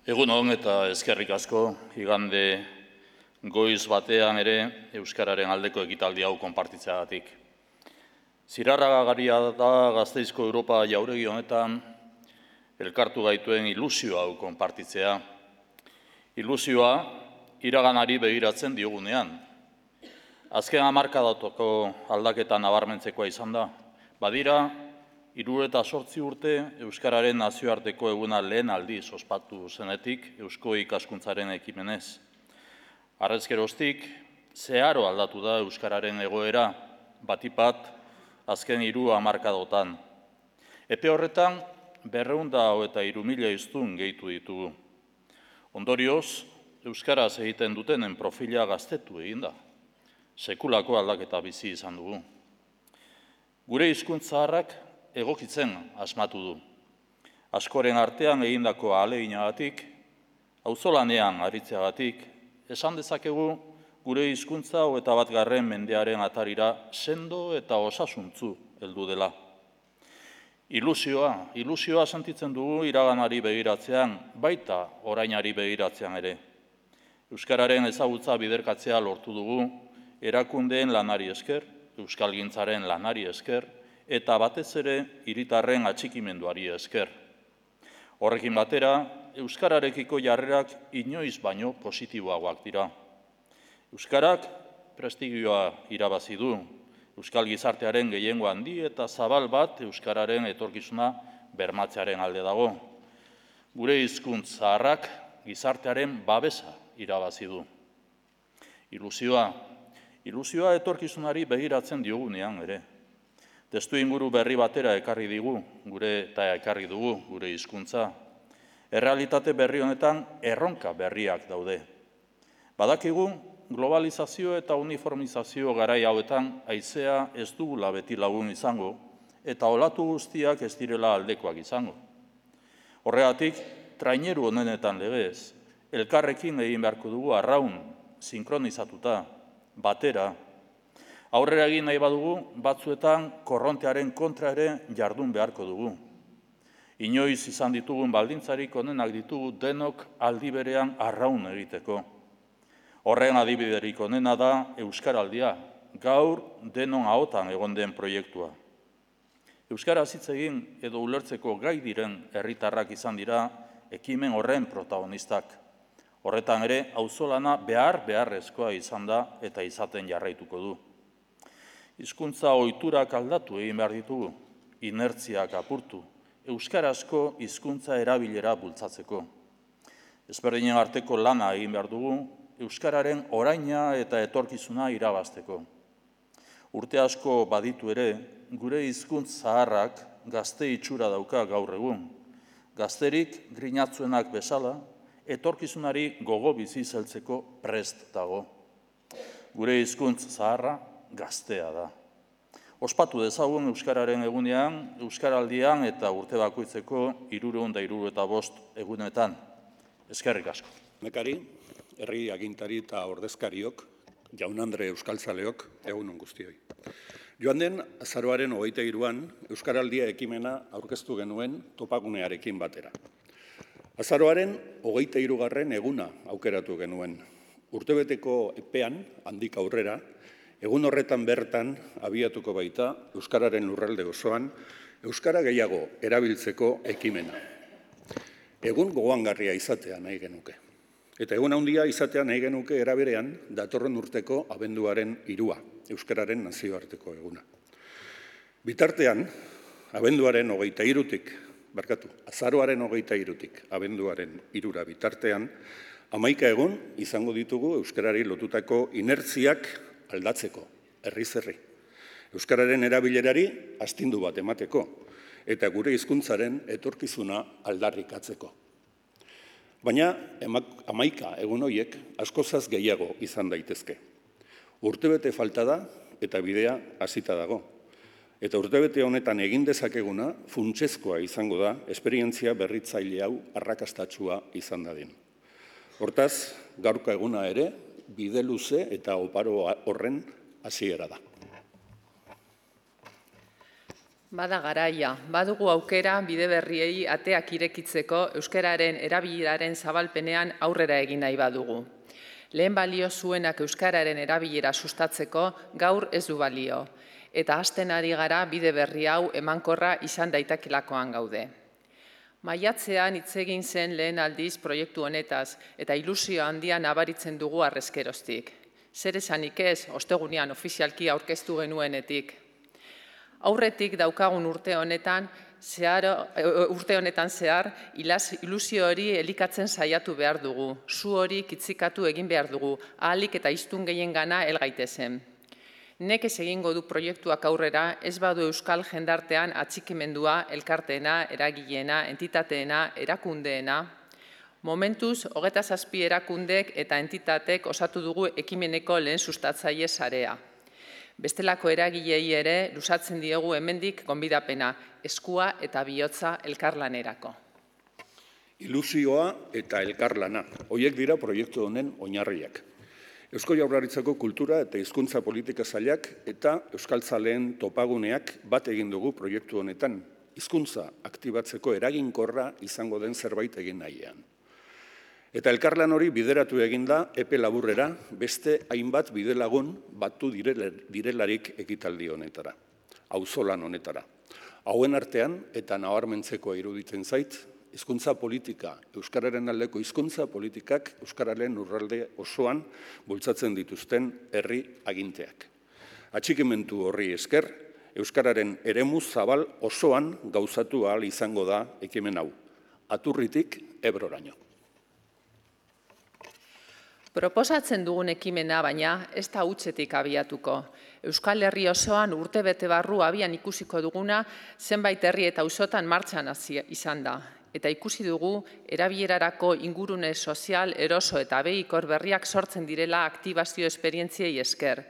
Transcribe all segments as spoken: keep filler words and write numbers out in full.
Egun on eta eskerrik asko, igande goiz batean ere Euskararen aldeko ekitaldi hau konpartitzeagatik. Zirarragaria da Gasteizko Europa jauregi honetan elkartu gaituen ilusio hau konpartitzea. Ilusioa iraganari begiratzen diogunean. Azken hamarkadatoko aldaketa nabarmentzekoa izan da. Badira, hirurogeita zortzi urte Euskararen nazioarteko eguna lehen aldiz ospatu zenetik Eusko ikaskuntzaren ekimenez. Harrezkeroztik, zeharo aldatu da Euskararen egoera, batipat, azken hiru hamarkadotan. Epe horretan, berrehun eta hogeita hiru mila hiztun gehitu ditugu. Ondorioz, Euskaraz egiten dutenen profila gaztetu egin da. Sekulako aldaketa bizi izan dugu. Gure hizkuntza zaharrak egokitzen asmatu du. Askoren artean egindako ahaleginagatik, auzolanean aritzeagatik, esan dezakegu gure hizkuntza hogeita batgarren mendearen atarira sendo eta osasuntzu heldu dela. Ilusioa, ilusioa sentitzen dugu iraganari begiratzean, baita orainari begiratzean ere. Euskararen ezagutza biderkatzea lortu dugu, erakundeen lanari esker, euskalgintzaren lanari esker, eta batez ere hiritarren atxikimenduari esker. Horrekin batera, euskararekiko jarrerak inoiz baino positiboagoak dira. Euskarak prestigioa irabazi du, euskal gizartearen gehiengo handi eta zabal bat euskararen etorkizuna bermatzearen alde dago. Gure hizkuntz zaharrak gizartearen babesa irabazi du. Ilusioa, ilusioa etorkizunari begiratzen diogunean ere. Testu inguru berri batera ekarri digu, gure eta ekarri dugu gure hizkuntza. Errealitate berri honetan erronka berriak daude. Badakigu, globalizazio eta uniformizazio garai hauetan haizea ez dugula beti lagun izango, eta olatu guztiak ez direla aldekoak izango. Horregatik, traineru honenetan legez, elkarrekin egin beharko dugu arraun, sinkronizatuta, batera. Aurrera egin nahi badugu, batzuetan korrontearen kontra ere jardun beharko dugu. Inoiz izan ditugun baldintzarik onenak ditugu denok aldi berean arraun egiteko. Horren adibiderik onena da Euskaraldia, gaur denon ahotan egon den proiektua. Euskaraz hitz egin edo ulertzeko gai diren herritarrak izan dira ekimen horren protagonistak. Horretan ere, auzolana behar beharrezkoa izan da eta izaten jarraituko du. Hizkuntza ohiturak aldatu egin behar ditugu, inertziak apurtu, euskarazko hizkuntza erabilera bultzatzeko. Ezberdinen arteko lana egin behar dugu, euskararen oraina eta etorkizuna irabazteko. Urte asko baditu ere, gure hizkuntz zaharrak gazte itxura dauka gaur egun. Gazterik grinatzuenak bezala, etorkizunari gogo bizi zeltzeko prest dago. Gure hizkuntz zaharra gaztea da. Ospatu dezagun euskararen egunean, euskaraldian eta urte bakoitzeko hirurehun eta hirurogeita bost egunetan. Eskerrik asko. Mekari, herri agintari eta ordezkariok, jaun-andre euskaltzaleok, egun on guztioi. Joan den azaroaren hogeita hiruan Euskaraldia ekimena aurkeztu genuen topagunearekin batera. Azaroaren hogeita hirugarren eguna aukeratu genuen. Urtebeteko epean, handik aurrera, egun horretan bertan abiatuko baita Euskararen lurralde osoan, Euskara gehiago erabiltzeko ekimena. Egun gogoangarria izatea nahi genuke. Eta egun handia izatea nahi genuke eraberean datorren urteko abenduaren hirua, Euskararen nazioarteko eguna. Bitartean, abenduaren hogeita hirutik, barkatu, azaroaren hogeita hirutik, abenduaren hirura bitartean, hamaika egun izango ditugu Euskarari lotutako inertziak aldatzeko, herriz herri. Euskararen erabilerari astindu bat emateko, eta gure hizkuntzaren etorkizuna aldarrikatzeko. Baina, hamaika egun horiek askozaz gehiago izan daitezke. Urtebete falta da eta bidea hasita dago. Eta urtebete honetan egin dezakeguna funtsezkoa izango da esperientzia berritzaile hau arrakastatsua izan dadin. Hortaz, gaurko eguna ere, bide luze eta oparo horren hasiera da. Bada garaia, badugu aukera bide berriei ateak irekitzeko euskararen erabileraren zabalpenean aurrera egin nahi badugu. Lehen balio zuenak euskararen erabilera sustatzeko gaur ez du balio, eta hasten ari gara bide berri hau emankorra izan daitakilakoan gaude. Maiatzean hitz egin zen lehen aldiz proiektu honetaz, eta ilusio handian nabaritzen dugu harrezkeroztik. Zer esanik ez, ostegunean ofizialki aurkeztu genuenetik. Aurretik daukagun urte honetan, zehar, urte honetan zehar, ilusio hori elikatzen saiatu behar dugu, zu hori kitzikatu egin behar dugu, ahalik eta hiztun gehien gana helgaitezen. Nekez egingo du proiektuak aurrera, ez badu euskal jendartean atxikimendua, elkarteena, eragileena, entitateena, erakundeena. Momentuz, hogeta zazpi erakundek eta entitatek osatu dugu ekimeneko lehen sustatzaile sarea. Bestelako eragilei ere luzatzen diegu hemendik gonbidapena, eskua eta bihotza elkarlanerako. Ilusioa eta elkarlana, horiek dira proiektu honen oinarriak. Eusko Jaurlaritzako kultura eta hizkuntza politika sailak eta euskaltzaleen topaguneak bat egin dugu proiektu honetan, hizkuntza aktibatzeko eraginkorra izango den zerbait egin nahian. Eta elkarlan hori bideratu eginda epe laburrera beste hainbat bidelagun batu direlarik ekitaldi honetara, auzolan honetara. Hauen artean eta nabarmentzeko iruditzen zait, hizkuntza politika, euskararen aldeko hizkuntza politikak euskararen lurralde osoan bultzatzen dituzten herri aginteak. Atxikimendu horri esker, euskararen eremu zabal osoan gauzatu ahal izango da ekimen hau, Aturritik Ebroraino. Proposatzen dugun ekimena baina ez da hutsetik abiatuko. Euskal Herri osoan urtebete barru abian ikusiko duguna zenbait herri eta auzotan martxan izan da. Eta ikusi dugu erabilerarako ingurune sozial, eroso eta behikor berriak sortzen direla aktibazio esperientziei esker.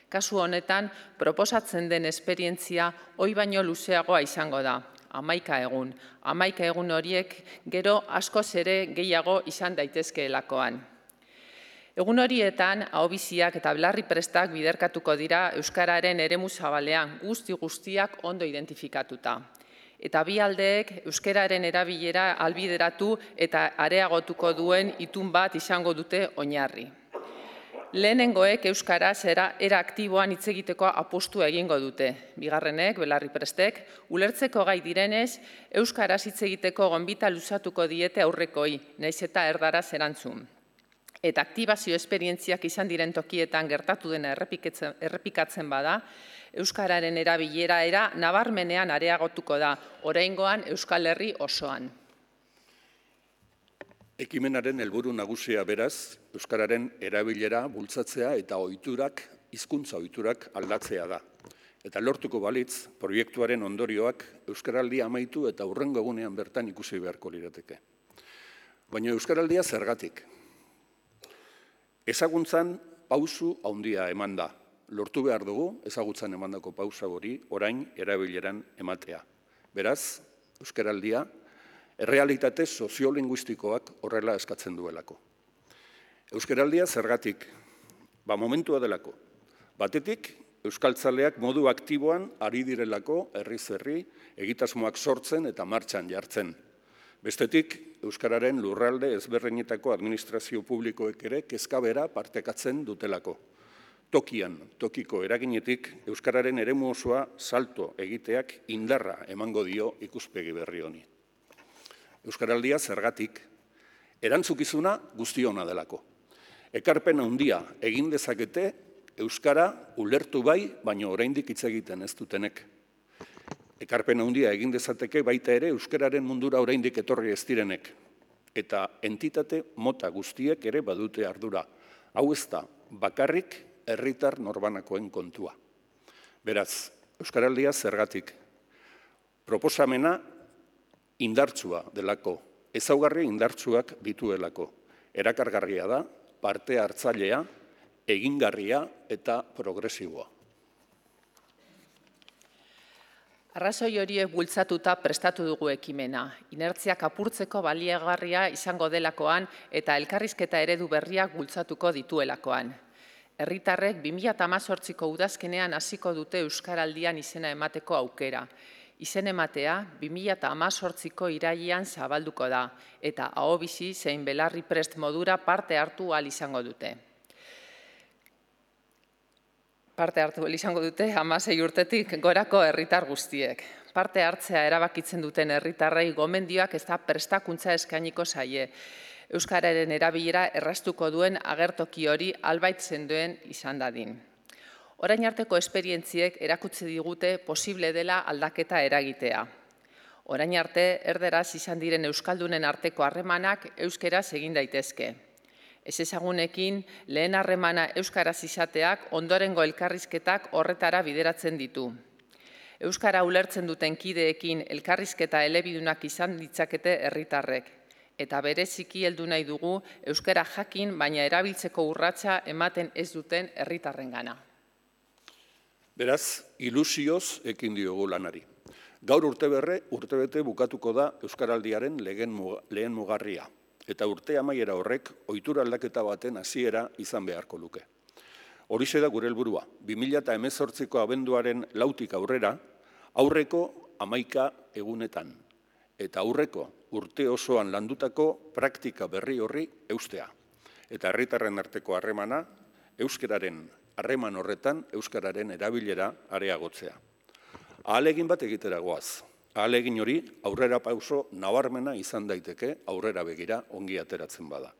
Kasu honetan, proposatzen den esperientzia hoi baino luzeagoa izango da. Hamaika egun. Hamaika egun horiek gero askoz ere gehiago izan daitezkeelakoan. Egun horietan, ahobiziak eta belarri prestak biderkatuko dira euskararen eremu zabalean guzti guztiak ondo identifikatuta. Eta bi aldeek euskararen erabilera albideratu eta areagotuko duen itun bat izango dute oinarri. Lehenengoek euskaraz era aktiboan hitz egiteko apostu egingo dute. Bigarrenek, belarri prestek, ulertzeko gai direnez, euskaraz hitz egiteko gonbita luzatuko diete aurrekoi, nahiz eta erdaraz erantzun. Eta aktibazio esperientziak izan diren tokietan gertatu dena errepikatzen bada, euskararen erabilera era nabarmenean areagotuko da, oraingoan Euskal Herri osoan. Ekimenaren helburu nagusia beraz, euskararen erabilera bultzatzea eta ohiturak, hizkuntza ohiturak aldatzea da. Eta lortuko balitz, proiektuaren ondorioak euskaraldia amaitu eta hurrengo egunean bertan ikusi beharko lirateke. Baina euskaraldia zergatik? Ezaguntzan pausu handia eman da. Lortu behar dugu, ezagutzan emandako pausa hori, orain erabileran ematea. Beraz, euskaraldia, errealitate soziolinguistikoak horrela eskatzen duelako. Euskaraldia zergatik? Ba, momentua delako. Batetik, euskaltzaleak modu aktiboan ari direlako herriz herri egitasmoak sortzen eta martxan jartzen. Bestetik, euskararen lurralde ezberdinetako administrazio publikoek ere kezkabera partekatzen dutelako. Tokian, tokiko eraginetik, euskararen eremu osoa salto egiteak indarra emango dio ikuspegi berri honi. Euskaraldia zergatik, erantzukizuna guztiona delako. Ekarpen handia egin dezakete, euskara ulertu bai, baina oraindik hitz egiten ez dutenek. Ekarpen handia egin dezateke baita ere euskararen mundura oraindik etorri ez direnek. Eta entitate mota guztiek ere badute ardura. Hau ez da, bakarrik herritar norbanakoen kontua. Beraz, euskaraldia zergatik. Proposamena indartsua delako, ezaugarri indartsuak dituelako. Erakargarria da, parte hartzailea, egingarria eta progresiboa. Arrazoi horiek bultzatuta prestatu dugu ekimena. Inertziak apurtzeko baliagarria izango delakoan eta elkarrizketa eredu berriak bultzatuko dituelakoan. Herritarrek bi mila hemezortziko udazkenean hasiko dute euskaraldian izena emateko aukera. Izen ematea bi mila hemezortziko irailean zabalduko da eta ahobizi zein belarri prest modura parte hartu ahal izango dute. Parte hartu ahal izango dute hamasei urtetik gorako herritar guztiek. Parte hartzea erabakitzen duten herritarrei gomendioak ez da prestakuntza eskainiko zaie. Euskararen erabilera erraztuko duen agertoki hori albait sendoen izan dadin. Orain arteko esperientziek erakutsi digute posible dela aldaketa eragitea. Orain arte, erderaz izan diren euskaldunen arteko harremanak euskeraz egin daitezke. Ezezagunekin lehen harremana euskaraz izateak ondorengo elkarrizketak horretara bideratzen ditu. Euskara ulertzen duten kideekin elkarrizketa elebidunak izan ditzakete herritarrek. Eta bereziki heldu nahi dugu euskara jakin baina erabiltzeko urratsa ematen ez duten herritarrengana. Beraz, ilusioz ekin diogu lanari. Gaur urteberre, urtebete bukatuko da Euskaraldiaren lehen mugarria. Eta urte amaiera horrek ohitura aldaketa baten hasiera izan beharko luke. Horixe da gure helburua. bi mila hemezortziko abenduaren lautik aurrera, aurreko hamaika egunetan. Eta aurreko urte osoan landutako praktika berri horri eustea. Eta herritarren arteko harremana, euskararen harreman horretan euskararen erabilera areagotzea. Ahalegin bat egitera goaz. Ahalegin hori aurrera pauso nabarmena izan daiteke aurrera begira ongi ateratzen bada.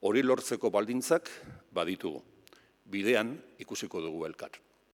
Hori lortzeko baldintzak baditugu. Bidean ikusiko dugu elkar.